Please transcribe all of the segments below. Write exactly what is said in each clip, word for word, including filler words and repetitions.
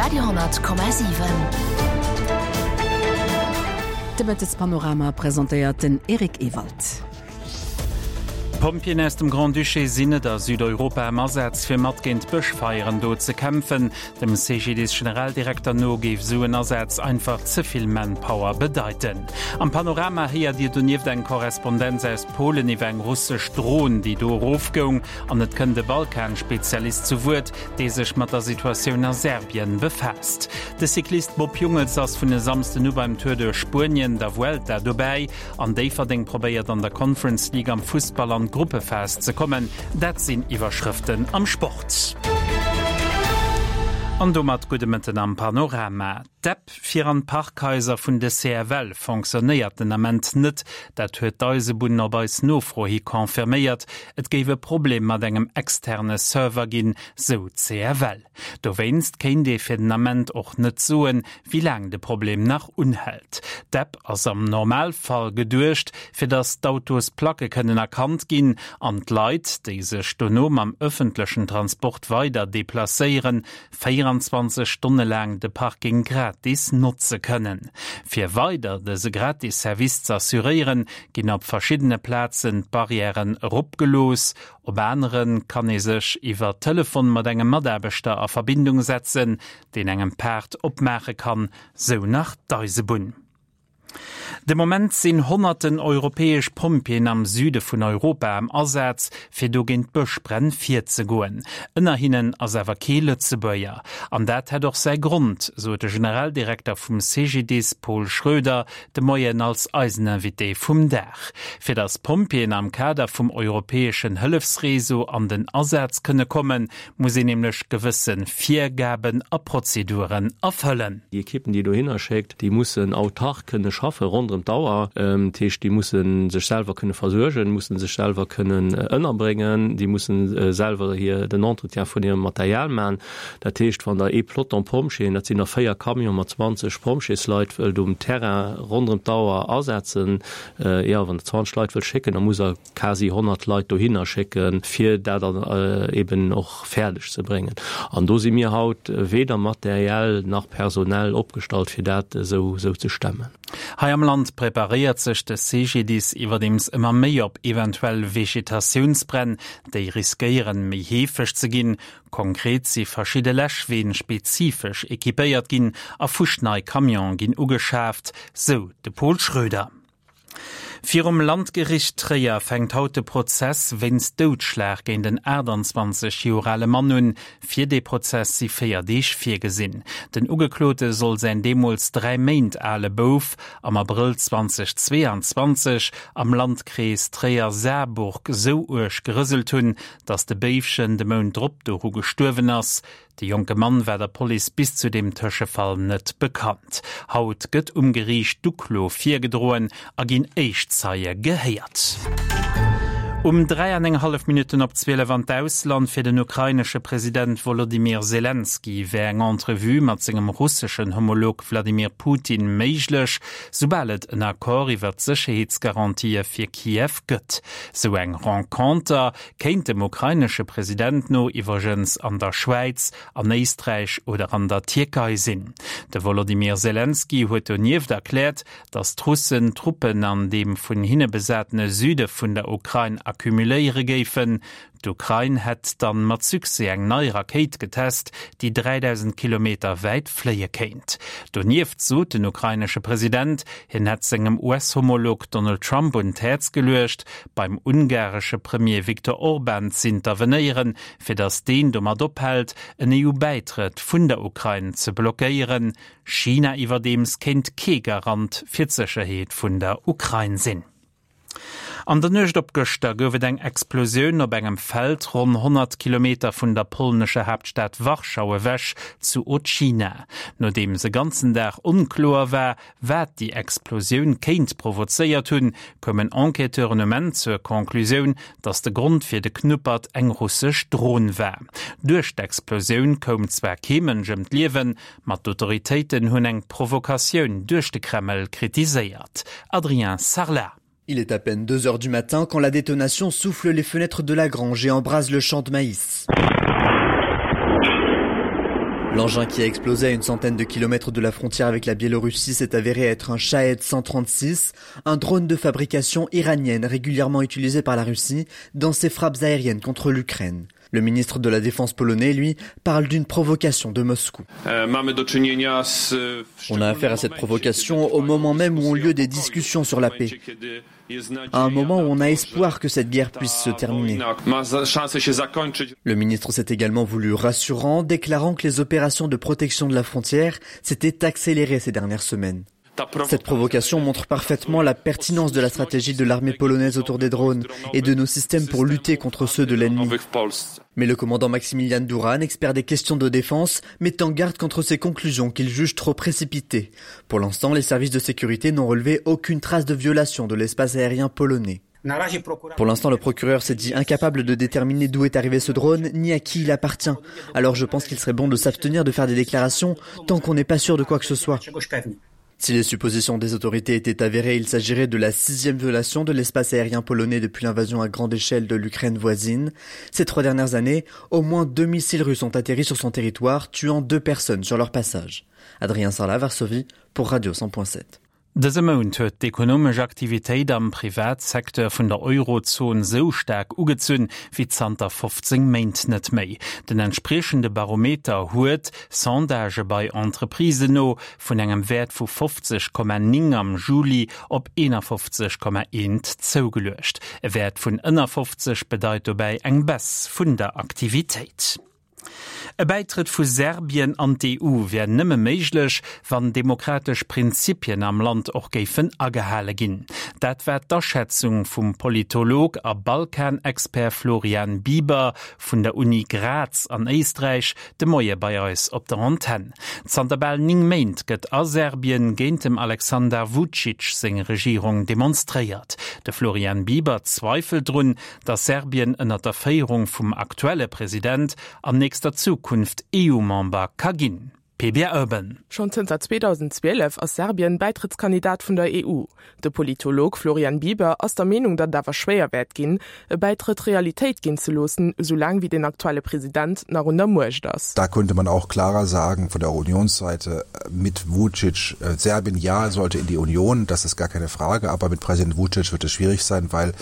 Radio honnert Komma siwen. De Mëttespanorama presentéiert den Eric Ewald. D'Pompjeeën aus dem Grand-Duché sinn net a Südeuropa am Asaz, fir mat géint d'Bëschfeieren do ze kämpfen. Dem C G D I S-Generaldirekter no géif esou en Asaz einfach ze vill Manpower bedeiten. Am Panorama héiert Dir donieft eng Korrespondenz aus Polen iwwer eng russesch Dron, déi do erofgoung, an et kënnt e Balkan-Spezialist zu Wuert, dee sech mat der Situatioun a Serbien befaasst. De Cyclist Bob Jungels ass vun e Samsden u beim Tour duerch Spuenien, der Vuelta, dobäi an Déifferdeng probéiert an der Conference League am Fussball an d'Gruppephas ze kommen. Dat sinn Iwwerschrëften am Sport. An domat gudde Mëtten am Panorama. D'App fir an d'Parkhaiser vun de C F L fonctionnéiert den Ament net. Dat huet d'Eisebunn op eis Nofro hi confirméiert. Et géif e Problem mat engem externe Server ginn, sou d'C F L. Dowéinst kéint ee fir den Ament och net soen, wéi laang de Problem nach unhält. D'App ass am Normalfall geduecht, fir datt d'Autosplacke kënnen erkannt ginn an d'Leit, déi sech dono mam ëffentlechen Transport weider deplacéieren, véierenzwanzeg Stonne laang de Parking gratis notze kënnen. Fir weider dëse gratis Service ze assuréieren, ginn op verschiddene Plazen d'Barrièren eropgelooss. Op anere kann ee sech iwwer Telefon mat engem Mataarbechter a Verbindung setzen, deen engem d'Paart opmaache kann, sou nach d'Eisebunn. De Moment sinn honnerten europäesch Pompjeeën am Süde vun Europa am Asaz, fir do géint d'Bëschbränn virzegoen. Ënner hinnen ass awer kee Lëtzebuerger. An dat hätt och säi Grond, sot de Generaldirekter vum C G D I S Paul Schroeder de Moien als eisen Invité vum Dag. Fir datt Pompjeeën am Kader vum europäeschen Hëllefsreseau an den Asaz kënne kommen, muss een nämlech gewësse Virgaben a Prozeduren erfëllen. Déi Ekippen, déi dohinner schéckt, déi mussen autark kënne schaffe ronderëm d'Auer. Dat heescht, déi musse sech selwer kënne versuergen, musse sech selwer kënnen ënnerbréngen, déi musse selwer hir den Entretien vun hirem Material maachen. Dat heescht, wann der ee Peloton Pompjeeën, dat sinn der véier Camione mat zwanzeg Pompjeesleit, wëllt um Terrain ronderëm d'Auer asetzen, jo, wann der zwanzeg Leit wëllt schécken, da musst der quasi honnert Leit dohinner schécken, fir dat dann eben och fäerdeg ze bréngen. An do si mir haut weder materiell nach personell opgestallt, fir dat esou ze stemmen. Hei am Land preparéiert sech de C G D I S iwwerdeems ëmmer méi op eventuell Vegetatiounsbränn, déi riskéieren, méi heefeg ze ginn. Konkret si verschidde Läschween spezifesch ekipéiert ginn a fuschnei Camione ginn ugeschaaft, sou de Paul Schroeder. Virum Landgericht Tréier fänkt haut de Prozess wéinst Doudschlag géint den aachtanzwanzeg Joer ale Mann un. Fir de Prozess si véier Deeg virgesinn. Den Ugeklote soll säin deemools dräi Méint ale Bouf am Abrëll zweedausendzweianzwanzeg am Landkrees Tréier-Saarburg sou uerg gerëselt hunn, datt de Béifchen de Mount drop doru gestuerwen ass. De jonke Mann war der Police bis zu dem Tëschefall net bekannt. Haut gëtt um Geriicht d'Uklo virgedroen a ginn éischt Zeie gehéiert. Um dräi an eng hallef Minutten op zwielef an d'Ausland. Fir den ukrainesche President Wolodymyr Selenskyj wär eng Entrevue mat sengem russeschen Homolog Wladimir Putin méiglech, soubal et en Accord iwwer d'Sécherheetsgarantië fir Kiew gëtt. Sou eng Renconter kéint dem ukrainesche President no iwwregens an der Schwäiz, an Éisträich oder an der Tierkei sinn. De Wolodymyr Selenskyj huet donieft erkläert, datt d'Russen Truppen an deem vun hinne besatene Süde vun der Ukrain akkumuléiere géifen. D'Ukrain hätt dann mat Succès eng nei Rakéit getest, déi dräidausend Kilometer wäit fléie kéint. Donieft sot den ukrainesche President, hien hätt sengem U S-Homolog Donald Trump un d'Häerz geluecht, beim ungaresche Premier Viktor Orban z'intervenéieren, fir datt deen domat ophält, en E U-Bäitrëtt vun der Ukrain ze blockéieren. China iwwerdeems kéint kee Garant fir d'Sécherheet vun der Ukrain sinn. An der Nuecht op gëschter gouf et eng Explosioun op engem Feld ronn honnert Kilometer vun der polnescher Haaptstad Warschau ewech zu Otschina. Nodeems e ganzen Dag onkloer war, wat déi Explosioun kéint provozéiert hunn, koumen Enquêteuren um Enn zur Conclusioun, datt de Grond fir de Knuppert eng russesch Dron war. Duerch d'Explosioun koum zwar kee Mënsch ëm d'Liewen, ma d'Autoritéiten hunn eng Provokatioun duerch de Kreml kritiséiert. Adrien Sarlat. Il est à peine deux heures du matin quand la détonation souffle les fenêtres de la grange et embrase le champ de maïs. L'engin qui a explosé à une centaine de kilomètres de la frontière avec la Biélorussie s'est avéré être un Shahed cent trente-six, un drone de fabrication iranienne régulièrement utilisé par la Russie dans ses frappes aériennes contre l'Ukraine. Le ministre de la Défense polonais, lui, parle d'une provocation de Moscou. On a affaire à cette provocation au moment même où ont lieu des discussions sur la paix. À un moment où on a espoir que cette guerre puisse se terminer. Le ministre s'est également voulu rassurant, déclarant que les opérations de protection de la frontière s'étaient accélérées ces dernières semaines. Cette provocation montre parfaitement la pertinence de la stratégie de l'armée polonaise autour des drones et de nos systèmes pour lutter contre ceux de l'ennemi. Mais le commandant Maximilian Duran, expert des questions de défense, met en garde contre ces conclusions qu'il juge trop précipitées. Pour l'instant, les services de sécurité n'ont relevé aucune trace de violation de l'espace aérien polonais. Pour l'instant, le procureur s'est dit incapable de déterminer d'où est arrivé ce drone, ni à qui il appartient. Alors je pense qu'il serait bon de s'abstenir de faire des déclarations tant qu'on n'est pas sûr de quoi que ce soit. Si les suppositions des autorités étaient avérées, il s'agirait de la sixième violation de l'espace aérien polonais depuis l'invasion à grande échelle de l'Ukraine voisine. Ces trois dernières années, au moins deux missiles russes ont atterri sur son territoire, tuant deux personnes sur leur passage. Adrien Sarlat, Varsovie, pour Radio cent point sept. Dëse Mount huet d'ekonomesch Aktivitéit am Privatsecteur vun der Eurozon sou staark ugezunn wéi zanter fofzéng Méint net méi. Den entspriechende Barometer huet, Sondagë bei Entreprisen no, vun engem Wäert vu fofzeg Komma néng am Juli op eenafofzeg Komma eent zougeluecht. E Wäert vun ënner fofzeg bedeit dobäi eng Baisse vun der Aktivitéit. E Bäitrëtt vu Serbien an d'E U wär nëmme méiglech, wann demokratesch Prinzipien am Land och géifen agehale ginn. Dat war d'Aschätzung vum Politolog a Balkanexpert Florian Bieber vun der Uni Graz an Éisträich de Moie bei eis op der Antenn. Zanter bal néng Méint gëtt a Serbien géint dem Alexander Vučić seng Regierung demonstréiert. De Florian Bieber zweifelt drun, datt Serbien ënner der Féierung vum aktuelle President an nächster Zukunft E U-Member ka ginn. P B Urban. Schon zënter zweedausendzwielef ass Serbien Beitrittskandidat vun der E U. De Politolog Florian Bieber ass der Meenung, datt awer schwéier wäert ginn, e Beitritt Realitéit ginn ze loossen, soulaang wie den aktuelle President nach un der Muecht ass. Da könnte man auch klarer sagen von der Unionsseite mit Vucic, äh, Serbien ja sollte in die Union, das ist gar keine Frage, aber mit Präsident Vucic wird es schwierig sein, weil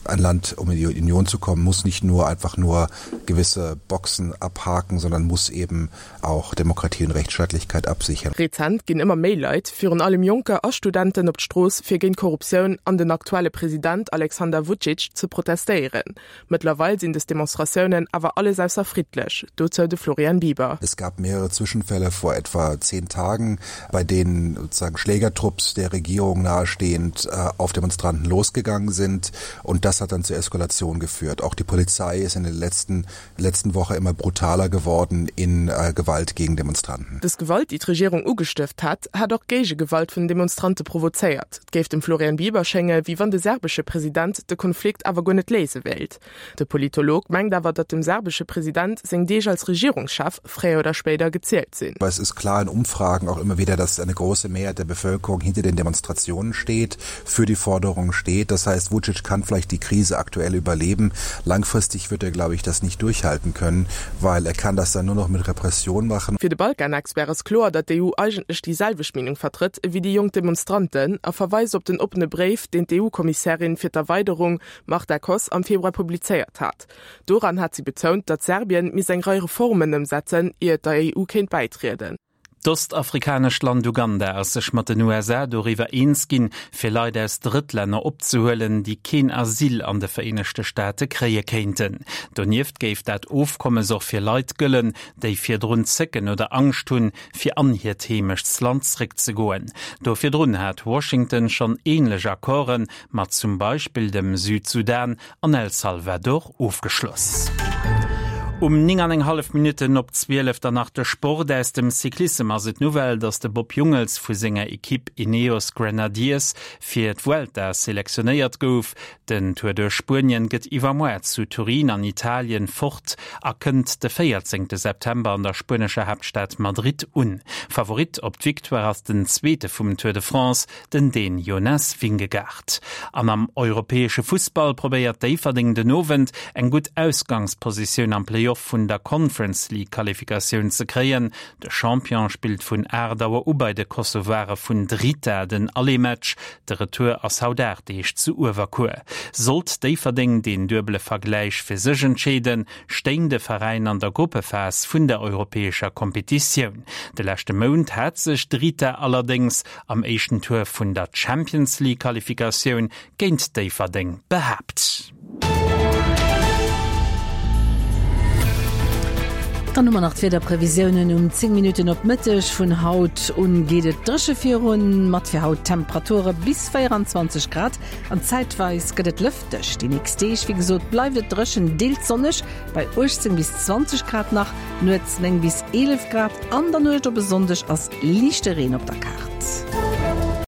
ein Land, um in die Union zu kommen, muss nicht nur einfach nur gewisse Boxen abhaken, sondern muss eben auch Demokratie und Rechtsstaatlichkeit absichern. Rezent ginn ëmmer méi Leit, virun allem Jonker a Studenten op d'Strooss fir géint Korruptioun an den aktuelle President Alexander Vucic ze protestéieren. Mittlerweile sinn des Demonstratiounen awer alles ausser friedlech, dozou de Florian Bieber. Es gab mehrere Zwischenfälle vor etwa zehn Tagen, bei denen sozusagen Schlägertrupps der Regierung nahestehend, äh, auf Demonstranten losgegangen sind und das hat dann zur Eskalation geführt. Auch die Polizei ist in der letzten, letzten Woche immer brutaler geworden in, äh, Gewalt gegen Demonstranten. Das Gewalt, die die Regierung ugestëft hat, hat auch Gegengewalt von Demonstranten provoziert. Géif dem Florian Bieber schénge, wéi wann de serbesche President de Konflikt awer guer net léise wéilt. De Politolog mengt awer, datt dem serbesche President seng Deeg als Regierungschef fréier oder spéider gezielt sinn. Aber es ist klar in Umfragen auch immer wieder, dass eine große Mehrheit der Bevölkerung hinter den Demonstrationen steht, für die Forderungen steht. Das heißt, Vucic kann vielleicht die Krise aktuell überleben. Langfristig wird er, glaube ich, das nicht durchhalten können, weil er kann das dann nur noch mit Repression machen. Fir de Balkanexpert ass kloer, datt d'E U eigentlech déi selwecht Meenung vertritt wéi déi jonk Demonstranten a verweist op den oppene Bréif, den d'E U-Kommissärin fir d'Erweiderung Marta Kos am Februar publizéiert hat. Doran hat sie betont, datt Serbien misst eng Rei Reformen ëmsetzen, ier et der E U kéint bäitrieden. D'ostafrikanescht Land Uganda ass sech mat den U S A doriwwer eens ginn, fir Leit aus Drëttlänner opzehuelen, déi keen Asyl an de Vereenegte Staate kréie kéinten. Donieft géif dat Ofkommes och fir Leit gëllen, déi virdrun Zécken oder Angscht hunn, fir an hiert Heemechtsland zréckzegoen. Do virdrun hat Washington schon ähnlech Accorden mat zum Beispill dem Südsudan an El Salvador ofgeschloss. Um ning an eng hallef Minuten op zwielef danach de Sport aus dem Cyclissem ass et Nouvelle, dats de Bob Jungels vu senger Equipe Ineos Grenadiers fir d'Vuelta selektionéiert gouf. Den Tour de Spuenien gëtt iwwermoar zu Turin an Italien fort a kënnt de véierzéngte September an der spuenescher Hauptstadt Madrid un. Favorit op d'Victoire ass den zweete vum Tour de France, den Dän Jonas Vingegaard. An am europäesche Fußball probéiert Déifferdeng den Owend eng gutt Ausgangspositioun am Playoff Play-off vun der Conference League Qualifikatioun ze kréien. De Champion spillt vun aacht Auer u bei de Kosovare vun Drita den Aller-Match. De Retour ass haut aacht Deeg zu Uewerkuer. Sollt Déifferdeng deen duebele Vergläich fir sech entscheeden, stéing de Veräin an der Gruppephas vun der europäescher Kompetitioun. De leschte Mount hat sech Drita allerdéngs am éischten Tour vun der Champions League Qualifikatioun géint Déifferdeng behaapt. Dann hu mer nach d'Wiederprevisiounen um zéng Minutten op Mëtteg. Vun haut un geet et dréche virun, mat fir haut Temperature bis véieranzwanzeg Grad an zäitweis gëtt et lëfteg. Déi nächst Deeg, wéi gesot, bleift et dréchen, deels sonneg bei uechtzéng bis zwanzeg Grad nach, nuets néng bis eelef Grad. An der Nuecht op e Sonndeg ass liichte Reen op der Kaart.